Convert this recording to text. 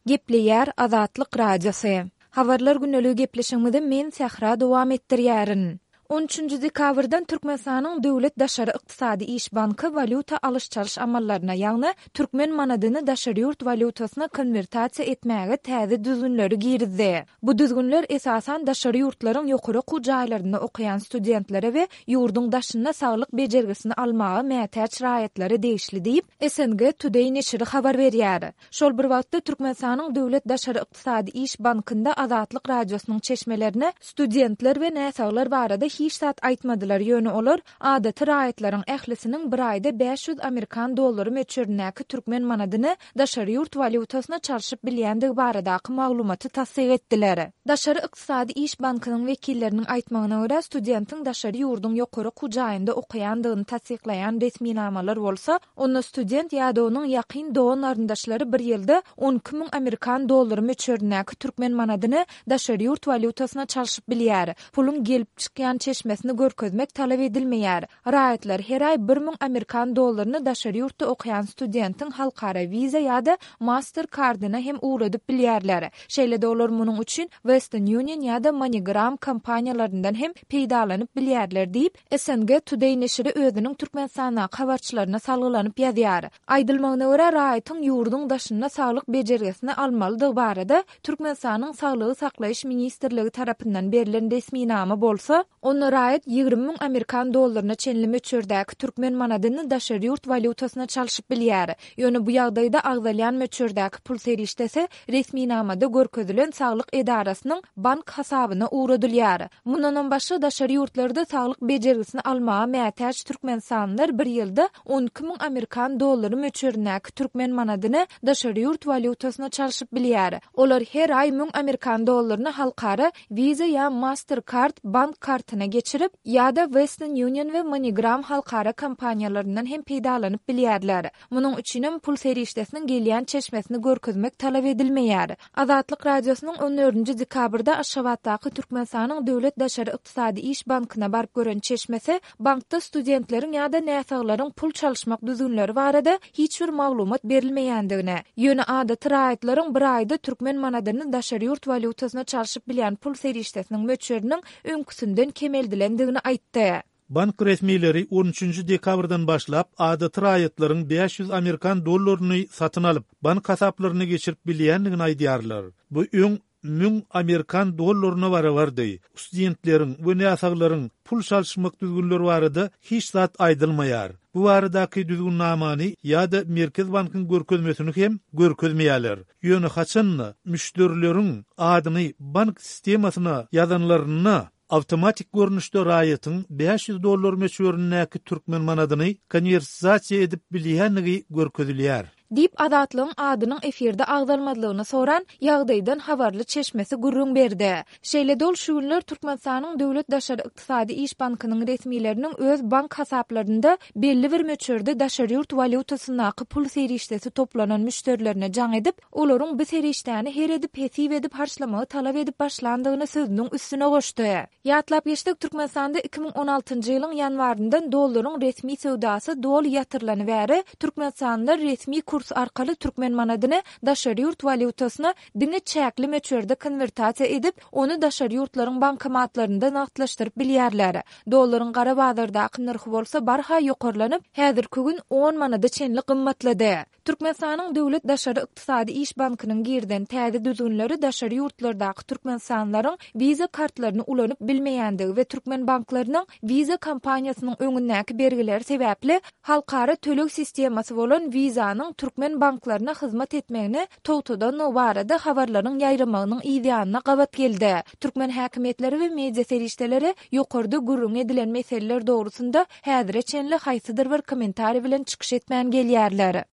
Gepleýär Azatlyk Radiosy. Habarlar gündeligi gepleşigimizi men Sähra dowam etdirýärin. On üçünji dekabrdan Türkmenistanyň Döwlet daşary ykdysady iş banky walýuta alyş-çalyş amallaryna, ýagny türkmen manadyny daşary ýurt walýutasyna konwertasiýa etmäge täze düzgünleri girizdi. Bu düzgünler esasan daşary ýurtlaryň ýokary okuw jaýlarynda okaýan studentlere we ýurduň daşynda saglyk bejergisini almaga mätäç raýatlara degişli diýip, SNG Today neşiri habar berýär. Şol bir wagtda, Türkmenistanyň Döwlet daşary ykdysady iş bankynda Azatlyk Radiosynyň çeşmelerine studentler we näsaglar barada hiç zat aýtmadylar, ýöne olar adaty raýatlaryň ählisiniň bir aýda 500 amerikan dollary möçberindäki türkmen manadyny daşary ýurt walýutasyna çalşyp bilýändigi baradaky maglumaty tassyk etdiler. Daşary ykdysady iş bankynyň wekilleriniň aýtmagyna görä, studentiň daşary ýurduň ýokary okuw jaýynda okaýandygyny tassyklaýan resminamalar bolsa, onda student ýa-da onuň ýakyn dogan-garyndaşlary bir ýylda 12 müň amerikan dollary möçberindäki türkmen manadyny daşary ýurt walýutasyna çalşyp bilýär. Puluň gelip çykýan çeşmesini görkezmek talap edilmeýär. Raýatlar her aý 1000 amerikan dollaryny daşary ýurtda okaýan studentiň halkara Visa ýa-da Master kardyna hem ugradyp bilýärler. Şeýle-de olar munuň üçin Western Union ýa-da MoneyGram kompaniýalaryndan hem peýdalanyp bilýärler diýip, SNG Today neşiri özüniň Türkmenistandaky habarçylaryna salgylanyp ýazýar. Aýdylmagyna görä, raýatyň ýurduň daşynda saglyk bejergisini almalydygy barada Türkmenistanyň Saglygy saklaýyş ministrligi tarapyndan berlen resminama bolsa, onda raýat 20 müň amerikan dollaryna çenli möçberdäki türkmen manadyny daşary ýurt walýutasyna çalşyp bilýär. Ýöne bu ýagdaýda agzalýan möçberdäki pul serişdesi resminamada görkezilen saglyk edarasynyň bank hasabyna ugradylýar. Mundanam başga, daşary ýurtlarda saglyk bejergisini almaga mätäç türkmenistanlylar bir ýylda 12 müň amerikan dollary möçberindäki türkmen manadyny daşary ýurt walýutasyna çalşyp bilýär. Olar her aý müň amerikan dollaryny halkara Visa ýa Mastercard bank kartyna geçirip, ýa-da Western Union we MoneyGram halkara kompaniýalaryndan hem peýdalanyp bilýärler. Munuň üçinem pul serişdesiniň gelýän çeşmesini görkezmek talap edilmeýär. Azatlyk Radiosynyň on dördünji dekabrda Aşgabatdaky Türkmenistanyň Döwlet daşary ykdysady iş bankyna baryp gören çeşmesi bankda studentleriň ýa-da näsaglaryň pul çalyşmak düzgünleri barada hiç bir maglumat berilmeýändigini, ýöne adaty raýatlaryň bir aýda türkmen manadyny daşary ýurt walýutasyna çalşyp bilýän pul serişdesiniň möçberiniň öňküsinden kemeldilendigini aýtdy. Bank resmileri on üçünji dekabrdan başlap adaty raýatlaryň 500 amerikan dollaryny satyn alyp, bank hasaplaryna geçirip bilýändigini aýdýarlar. Bu öň müň amerikan dollaryna barabardy. Studentleriň we näsaglaryň pul çalyşmak düzgünleri barada hiç zat aýdylmaýar. Bu baradaky düzgünnamany ýa-da Merkezi bankyň görkezmesini hem görkezmeýärler. Ýöne haçan-da müşderileriň adyny bank sistemasyna ýazanlarynda, Awtomatik görnüşde raýatyň 500 dollar möçberindäki türkmen manadyny konwertizasiýa edip bilýändigi görkezilýär. Diýip, Azatlygyň adynyň efirde agzalmazlygyny soran, ýagdaýdan habarly çeşmesi gürrüň berdi. Şeýle-de ol şu günler Türkmenistanyň Döwlet daşary ykdysady iş bankynyň resmileriniň öz bank hasaplarynda belli bir möçberde daşary ýurt walýutasyndaky pul serişdesi toplanan müşderilerine jaň edip, Olaryň bu serişdäni her edip-hesip edip harçlamagy talap edip başlandygyny sözüniň üstüne goşdy. Ýatlap geçsek, Türkmenistanda 2016-njy ýylyň ýanwaryndan dollaryň resmi söwdasy doly ýatyrylany bäri, türkmenistanlylar resmi kurs arkaly türkmen manadyny daşary ýurt walýutasyna diňe çäkli möçberde konwertasiýa edip, ony daşary ýurtlaryň bankomatlarynda nagtlaşdyryp bilýärler. Dollaryň gara bazardaky nyrhy bolsa barha ýokarlanyp, häzirki gün on manada çenli gymmatlady. Türkmenistanyň Döwlet daşary ykdysady iş bankynyň girizen täze düzgünleri daşary ýurtlardaky türkmenistanlylaryň Visa kartlaryny ulanyp bilmeýändigi we türkmen banklarynyň Visa kompaniýasynyň öňündäki bergileri sebäpli halkara töleg sistemasy bolan Visa-nyň türkmen banklaryna hyzmat etmegini togtadandygy barada habarlaryň ýaýramagynyň yzýanyna gabat geldi. Türkmen häkimiýetleri we media serişdeleri ýokarda gürrüňi edilen meseleler dogrusynda häzire çenli haýsydyr bir kommentariý bilen çykyş etmän gelýärler.